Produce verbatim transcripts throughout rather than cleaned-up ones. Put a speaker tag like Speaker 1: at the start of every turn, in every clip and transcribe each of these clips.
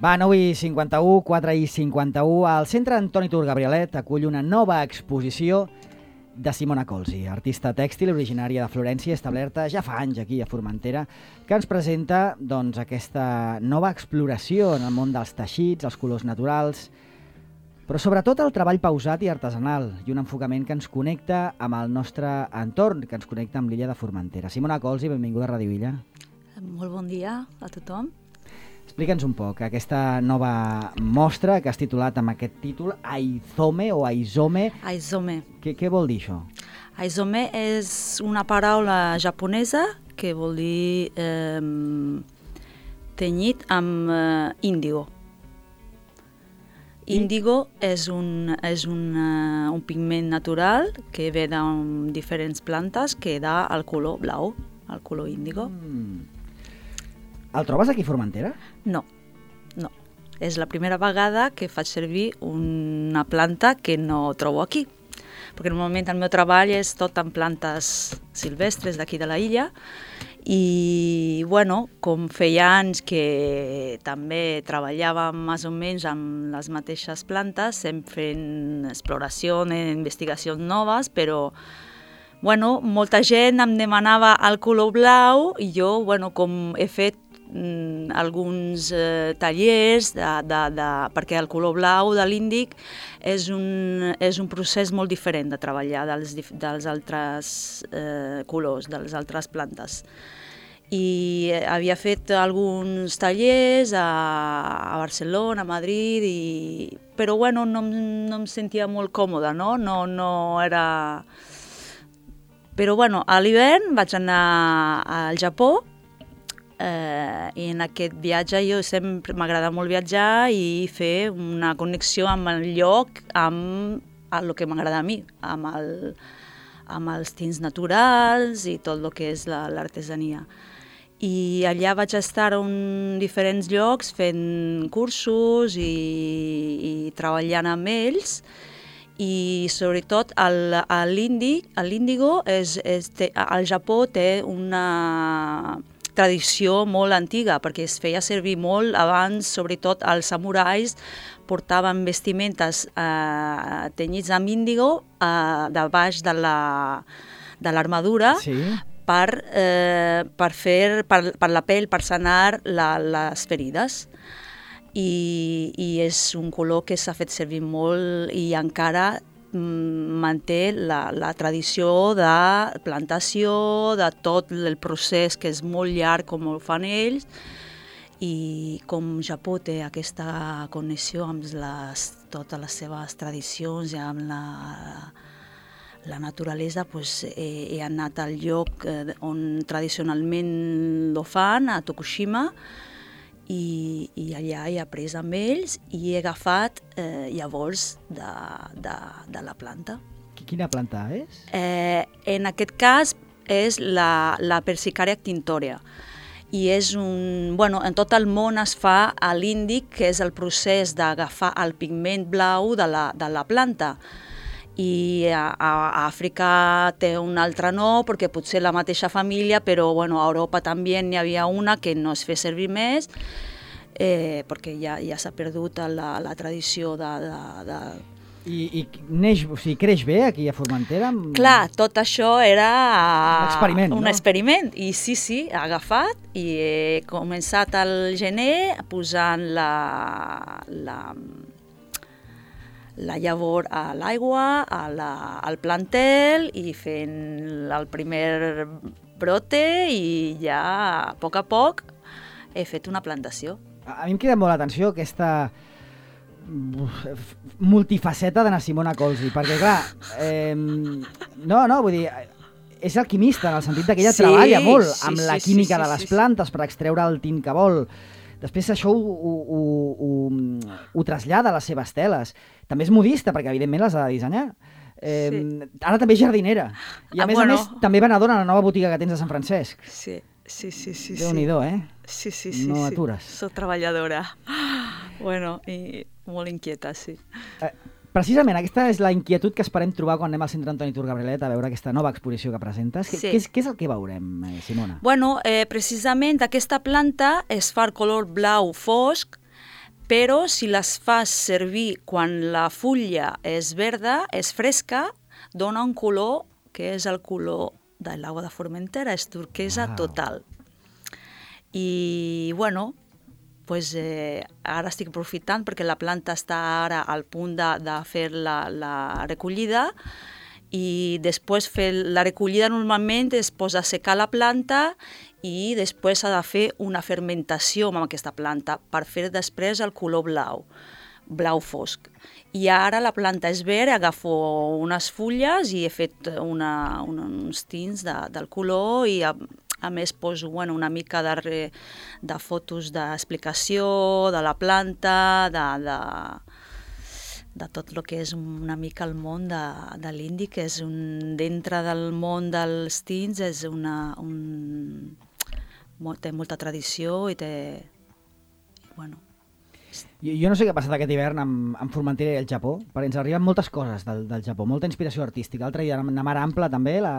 Speaker 1: Va, nou i cinquanta-u, quatre i cinquanta-u, el Centre Antoni Tur Gabrielet acull una nova exposició de Simona Colzi, artista tèxtil originària de Florència, establerta ja fa anys aquí a Formentera, que ens presenta doncs, aquesta nova exploració en el món dels teixits, els colors naturals, però sobretot el treball pausat i artesanal i un enfocament que ens connecta amb el nostre entorn, que ens connecta amb l'illa de Formentera. Simona Colzi, benvinguda a Ràdio Illa.
Speaker 2: Molt bon dia a tothom.
Speaker 1: Explica'ns un poc aquesta nova mostra que has titulat amb aquest títol, Aizome o Aizome.
Speaker 2: Aizome.
Speaker 1: Què, què vol dir això?
Speaker 2: Aizome és una paraula japonesa que vol dir eh, tenyit amb eh, índigo. Índigo és, un, és un, uh, un pigment natural que ve de diferents plantes que da el color blau, el color índigo.
Speaker 1: Mm. El trobes aquí a Formentera?
Speaker 2: No, no. És la primera vegada que faig servir una planta que no trobo aquí. Perquè normalment el meu treball és tot en plantes silvestres d'aquí de la illa i, bueno, com feia anys que també treballàvem més o menys amb les mateixes plantes, sempre fent exploració, investigacions noves, però bueno, molta gent em demanava el color blau i jo, bueno, com he fet mm, alguns eh, tallers, de, de, de, perquè el color blau de l'índic és un, és un procés molt diferent de treballar dels, dels altres eh, colors, de les altres plantes. I havia fet alguns tallers a, a Barcelona, a Madrid, i, però bueno, no, no em sentia molt còmoda, no? No, no era... Però bueno, a l'hivern vaig anar al Japó eh, i en aquest viatge jo sempre m'agrada molt viatjar i fer una connexió amb el lloc, amb el que m'agrada a mi, amb, el, amb els tints naturals i tot el que és l'artesania. I allà vaig estar en diferents llocs fent cursos i, i treballant amb ells. I sobretot l'índigo, al Japó té una tradició molt antiga perquè es feia servir molt abans, sobretot els samurais portaven vestimentes eh, tenyits amb índigo eh, de baix de l'armadura sí. per, eh, per, fer, per, per la pell, per sanar la, les ferides. I, i és un color que s'ha fet servir molt i encara mm, manté la, la tradició de plantació, de tot el procés que és molt llarg com ho fan ells, i com Japó té aquesta connexió amb les, totes les seves tradicions i amb la, la naturalesa, pues, he, he anat al lloc on tradicionalment ho fan, a Tokushima, I, i allà he après amb ells i he agafat eh, llavors de, de, de la planta.
Speaker 1: Quina planta és?
Speaker 2: Eh, en aquest cas és la, la Persicaria actintoria i és un... Bueno, en tot el món es fa a l'índic, que és el procés d'agafar el pigment blau de la, de la planta. I a, a Àfrica té un altre nom, perquè potser la mateixa família, però bueno, a Europa també n'hi havia una que no es fa servir més, eh, perquè ja, ja s'ha perdut la, la tradició de... de, de...
Speaker 1: I, i neix, o sigui, creix bé aquí a Formentera?
Speaker 2: Clar, tot això era
Speaker 1: un experiment,
Speaker 2: un
Speaker 1: no?
Speaker 2: experiment. I sí, sí, he agafat i he començat al gener posant la... la la llavor a l'aigua, al plantel i fent el primer brote i ja a poc a poc he fet una plantació.
Speaker 1: A mi em crida molt l'atenció aquesta multifaceta de na Simona Colzi, perquè clar, eh, no, no, vull dir, és alquimista en el sentit que ella sí, treballa molt sí, amb sí, la química sí, sí, de les sí, plantes sí. per extreure el tint que vol. Després això ho, ho, ho, ho, ho trasllada a les seves teles. També és modista, perquè evidentment les ha de dissenyar. Eh, sí. Ara també és jardinera. I a ah, més bueno. a més també venedora a la nova botiga que tens a Sant Francesc.
Speaker 2: Sí, sí, sí. sí
Speaker 1: Déu-n'hi-do, eh?
Speaker 2: Sí, sí, sí.
Speaker 1: No
Speaker 2: sí.
Speaker 1: atures.
Speaker 2: Soc treballadora. Bueno, i molt inquieta, sí.
Speaker 1: Eh, precisament aquesta és la inquietud que esperem trobar quan anem al Centre Antoni Tur Gabrielet a veure aquesta nova exposició que presentes. Sí. Què, és, què és el que veurem, eh, Simona?
Speaker 2: Bueno, eh, precisament aquesta planta es fa el color blau fosc però si les fas servir quan la fulla és verda, és fresca, dona un color que és el color de l'aigua de Formentera, és turquesa wow. total. I, bueno, pues, eh, ara estic aprofitant perquè la planta està ara al punt de, de fer la, la recollida i després fer la recollida normalment es posa a secar la planta i després s'ha de fer una fermentació amb aquesta planta per fer després el color blau, blau fosc. I ara la planta és verd, agafo unes fulles i he fet una, una, uns tints de, del color i a, a més poso bueno, una mica de, re, de fotos d'explicació de la planta, de, de, de tot el que és una mica el món de, de l'indi, que és un, dintre del món dels tints és una, un, té molta tradició i té... Bueno,
Speaker 1: Jo, jo no sé què ha passat aquest hivern amb, amb Formentera i el Japó, perquè ens arriben moltes coses del, del Japó, molta inspiració artística. L'altre dia la Mar Ampla també, la,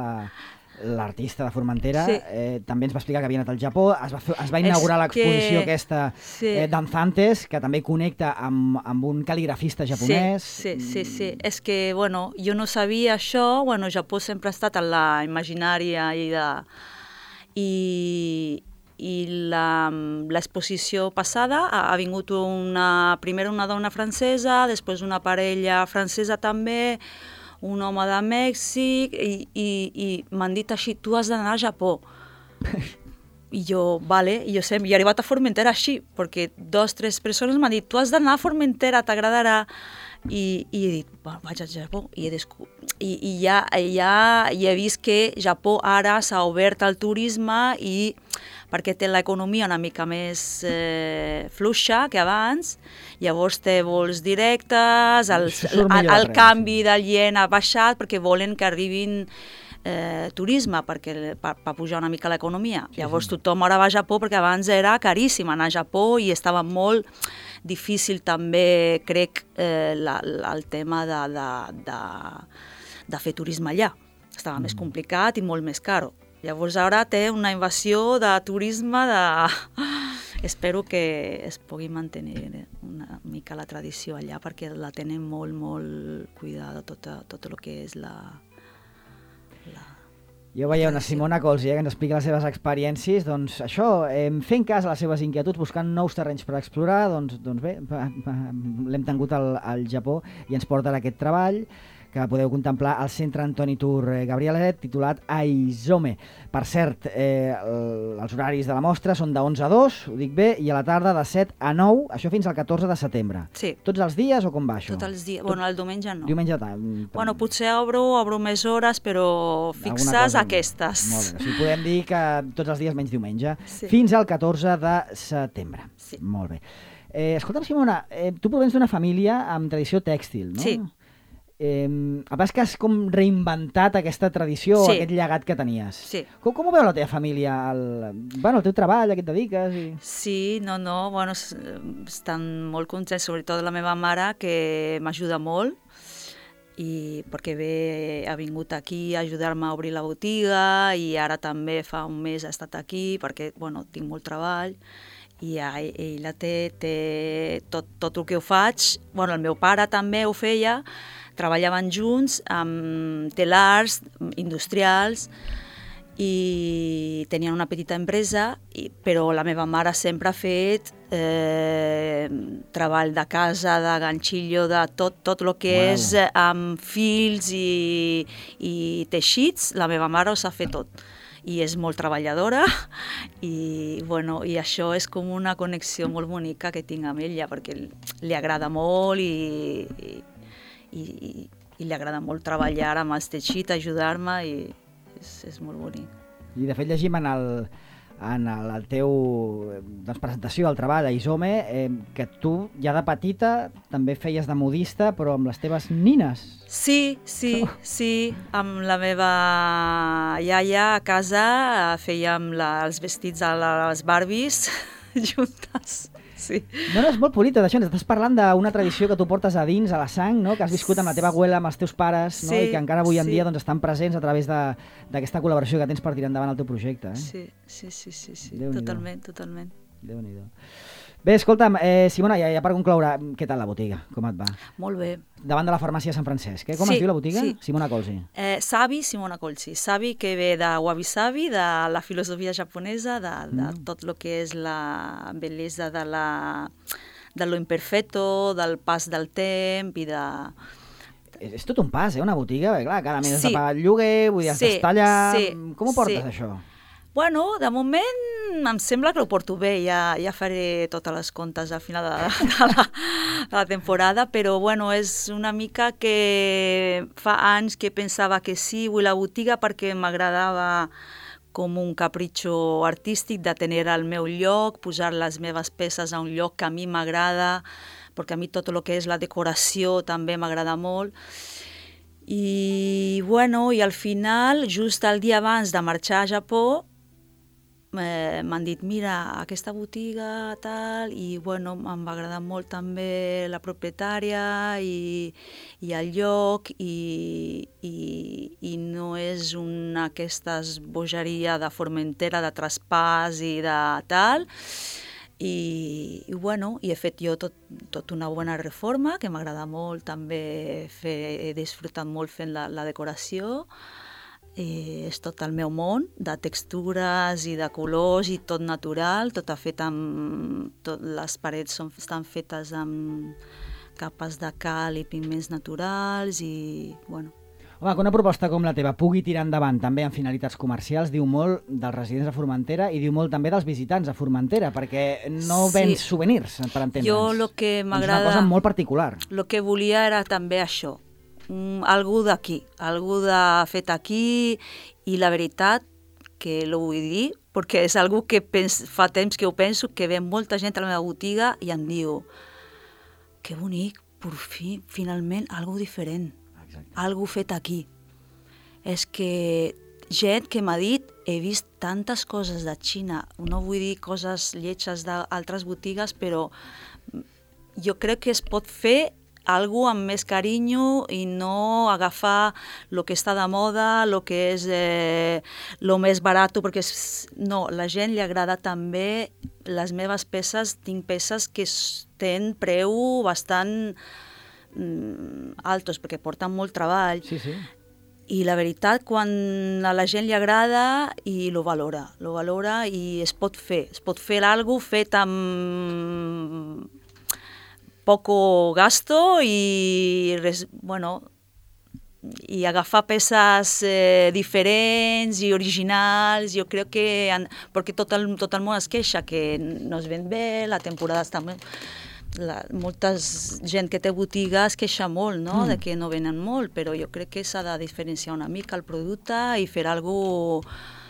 Speaker 1: l'artista de Formentera, sí. eh, també ens va explicar que havia anat al Japó, es va, fer, es va inaugurar l'exposició que... aquesta sí. eh, Danzantes, que també connecta amb, amb un cal·ligrafista japonès.
Speaker 2: Sí, sí, sí, sí. És que, bueno, jo no sabia això, bueno, Japó sempre ha estat en la imaginària i de... I, i l'exposició passada ha, ha vingut una, primer una dona francesa, després una parella francesa també, un home de Mèxic, i, i, i m'han dit així, tu has d'anar al Japó. I jo, vale, i jo sempre, i he arribat a Formentera així, perquè dos, tres persones m'han dit, tu has d'anar a Formentera, t'agradarà. I, i he dit, bueno, vaig al Japó, i, he descu... I, i ja, ja i he vist que Japó ara s'ha obert al turisme i perquè té l'economia una mica més eh, fluixa que abans, llavors té vols directes, el, el, el, el canvi del yen ha baixat perquè volen que arribin eh, turisme perquè, per, per pujar una mica l'economia. Sí, llavors sí. Tothom ara va a Japó perquè abans era caríssim anar a Japó i estava molt difícil també, crec, eh, la, la, el tema de, de, de, de fer turisme allà. Estava mm. més complicat i molt més caro. Llavors ara té una invasió de turisme, de... espero que es pugui mantenir una mica la tradició allà perquè la tenen molt, molt cuidada, tot, tot el que és la... la...
Speaker 1: Jo veia una Simona Colsi eh, que ens explica les seves experiències, doncs això, eh, fent cas a les seves inquietuds, buscant nous terrenys per explorar, doncs, doncs bé, l'hem tingut al, al Japó i ens porta aquest treball que podeu contemplar al Centre Antoni Tur Gabrielet, titulat Aizome. Per cert, eh, els horaris de la mostra són de onze a dos, ho dic bé, i a la tarda de set a nou, això fins al catorze de setembre.
Speaker 2: Sí.
Speaker 1: Tots els dies o com va això?
Speaker 2: Tots els dies. Tot... Bueno, el diumenge no.
Speaker 1: Diumenge tant.
Speaker 2: Bueno, potser obro, obro més hores, però fixes cosa... aquestes.
Speaker 1: Molt bé. O sigui, podem dir que tots els dies menys diumenge. Sí. Fins al catorze de setembre.
Speaker 2: Sí.
Speaker 1: Molt bé. Eh, escolta'm, Simona, eh, tu provens d'una família amb tradició tèxtil, no?
Speaker 2: Sí.
Speaker 1: Eh, a pas que has com reinventat aquesta tradició, sí. aquest llegat que tenies.
Speaker 2: Sí.
Speaker 1: Com, com ho veu la teva família, el, bueno, el teu treball, a què et dediques? I...
Speaker 2: Sí, no, no, bueno, estan molt contents, sobretot la meva mare, que m'ajuda molt, i perquè bé ha vingut aquí a ajudar-me a obrir la botiga i ara també fa un mes ha estat aquí perquè, bueno, tinc molt treball i ella té, té tot, tot el que ho faig. Bueno, el meu pare també ho feia, treballaven junts amb telars industrials i tenien una petita empresa, i, però la meva mare sempre ha fet eh, treball de casa, de ganxillo, de tot, tot el que wow. és amb fils i, i teixits, la meva mare ho sap fer tot. I és molt treballadora i, bueno, i això és com una connexió molt bonica que tinc amb ella perquè li agrada molt i, i, i, i li agrada molt treballar amb els teixits, ajudar-me i és, és molt bonic.
Speaker 1: I de fet llegim en el, en el, el teu doncs, presentació al treball a Aizome eh, que tu ja de petita també feies de modista però amb les teves nines.
Speaker 2: Sí, sí, oh. sí, amb la meva iaia a casa fèiem la, els vestits a les Barbies juntes. Sí.
Speaker 1: No, no, és molt bonita d'això, ens estàs parlant d'una tradició que tu portes a dins, a la sang, no? Que has viscut amb la teva abuela, amb els teus pares, no? Sí, i que encara avui en sí. dia doncs, estan presents a través d'aquesta col·laboració que tens per tirar endavant el teu projecte. Eh?
Speaker 2: Sí, sí, sí, sí, sí. totalment, totalment.
Speaker 1: Déu-n'hi-do. Bé, escolta'm, eh, Simona, ja, ja per concloure, què tal la botiga? Com et va?
Speaker 2: Molt bé.
Speaker 1: Davant de la farmàcia Sant Francesc, eh? Com
Speaker 2: Sí,
Speaker 1: es diu la botiga?
Speaker 2: sí.
Speaker 1: Simona Colzi.
Speaker 2: Eh, Savi Simona Colzi. Savi que ve de Wabi Sabi, de la filosofia japonesa, de, de
Speaker 1: Mm.
Speaker 2: tot el que és la bellesa de, la, de lo imperfecto, del pas del temps i de...
Speaker 1: És, és tot un pas, eh? Una botiga, bé, clar, cada mes has
Speaker 2: Sí.
Speaker 1: de pagar el lloguer, vull dir, has
Speaker 2: Sí,
Speaker 1: d'estar allà...
Speaker 2: sí,
Speaker 1: Com ho portes,
Speaker 2: sí.
Speaker 1: això?
Speaker 2: Bueno, de moment em sembla que ho porto bé, ja, ja faré totes les comptes al final de, de, la, de la temporada, però bueno, és una mica que fa anys que pensava que sí, vull la botiga perquè m'agradava com un capritxo artístic de tenir el meu lloc, posar les meves peces a un lloc que a mi m'agrada, perquè a mi tot el que és la decoració també m'agrada molt. I bueno, i al final, just el dia abans de marxar a Japó, Eh, m'han dit, mira, aquesta botiga, tal, i bueno, em va agradar molt també la propietària i, i el lloc, i, i, i no és una aquestes bogeria de Formentera, de traspàs i de tal, i, i bueno, i he fet jo tot, tot una bona reforma, que m'agrada molt també fer, he disfrutat molt fent la, la decoració. Eh, és tot el meu món, de textures i de colors i tot natural, tot fet amb... Tot, les parets són, estan fetes amb capes de cal i pigments naturals i, bueno...
Speaker 1: Home, que una proposta com la teva pugui tirar endavant també amb finalitats comercials diu molt dels residents a Formentera i diu molt també dels visitants a Formentera, perquè no
Speaker 2: Sí.
Speaker 1: vens souvenirs, per entendre'ns.
Speaker 2: Jo lo que m'agrada...
Speaker 1: És una cosa molt particular.
Speaker 2: El que volia era també això, mm, algú d'aquí, algú de fet aquí, i la veritat que lo vull dir, perquè és algú que pens, fa temps que ho penso, que ve molta gent a la meva botiga i em diu que bonic, per fi, finalment, algo diferent,
Speaker 1: Exacte.
Speaker 2: algo fet aquí. És que gent que m'ha dit, he vist tantes coses de Xina, no vull dir coses lletges d'altres botigues, però jo crec que es pot fer algo amb més carinyo i no agafar el que està de moda, el que és eh, lo més barat, perquè és, no, la gent li agrada també les meves peces, tinc peces que tenen preu bastant mm, altos, perquè porten molt treball.
Speaker 1: Sí, sí.
Speaker 2: I la veritat, quan a la gent li agrada i lo valora, lo valora i es pot fer, es pot fer alguna cosa fet amb poco gasto i, res, bueno, i agafar peces eh, diferents i originals. Jo crec que, perquè tot el, tot el món es queixa que no es ven bé, la temporada està... La, molta gent que té botiga es queixa molt, no? Mm. De que no venen molt, però jo crec que s'ha de diferenciar una mica el producte i fer alguna cosa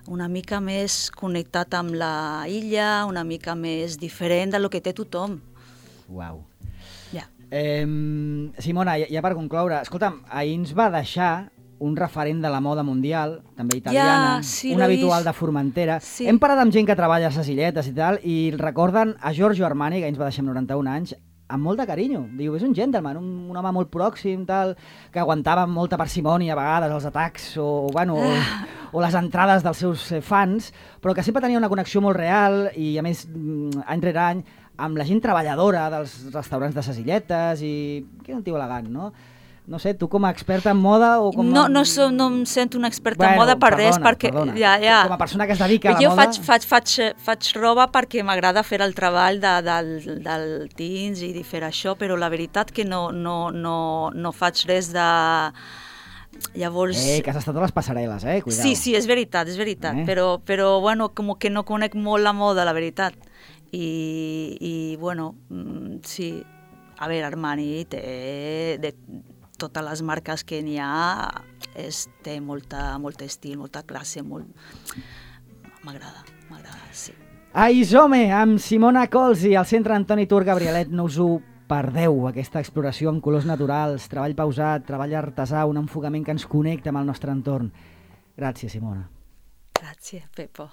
Speaker 2: una mica més connectat amb la illa, una mica més diferent del que té tothom.
Speaker 1: Uau.
Speaker 2: Ja.
Speaker 1: Eh, Simona, ja, ja per concloure, escolta'm, ahir ens va deixar un referent de la moda mundial, també italiana,
Speaker 2: Ja, sí,
Speaker 1: un
Speaker 2: l'he
Speaker 1: habitual
Speaker 2: vist.
Speaker 1: de Formentera.
Speaker 2: Sí.
Speaker 1: Hem parat amb gent que treballa a les illetes i tal, i recorden a Giorgio Armani, que ens va deixar amb noranta-un anys, amb molt de carinyo. Diu, és un gentleman, un, un home molt pròxim, tal, que aguantava amb molta parsimònia a vegades els atacs o, bueno, o, o les entrades dels seus eh, fans, però que sempre tenia una connexió molt real i, a més, mm, any rere any, amb la gent treballadora dels restaurants de ses illetes i... Que és un tio elegant, no? No sé, tu com a experta en moda o com a...
Speaker 2: No, no, so, no em sento una experta
Speaker 1: bueno,
Speaker 2: en moda per
Speaker 1: perdona,
Speaker 2: res, perquè...
Speaker 1: Perdona.
Speaker 2: Ja, ja.
Speaker 1: Com a persona que es dedica a la
Speaker 2: jo
Speaker 1: moda...
Speaker 2: faig, faig, faig, faig roba perquè m'agrada fer el treball de, del, del teens i de fer això, però la veritat que no, no, no, no faig res de... Llavors...
Speaker 1: Eh, que has estat a les passarel·les, eh? Cuidao.
Speaker 2: Sí, sí, és veritat, és veritat,
Speaker 1: Eh?
Speaker 2: però, però bueno, com que no conec molt la moda, la veritat. I, i bueno, mm, sí, a veure, Armani té... De, totes les marques que n'hi ha, és, té molta, molt estil, molta classe, molt... M'agrada, m'agrada, sí.
Speaker 1: A Isome, amb Simona Colzi, al centre Antoni Tur Gabrielet, no us ho perdeu, aquesta exploració amb colors naturals, treball pausat, treball artesà, un enfocament que ens connecta amb el nostre entorn. Gràcies, Simona.
Speaker 2: Gràcies, Pepo.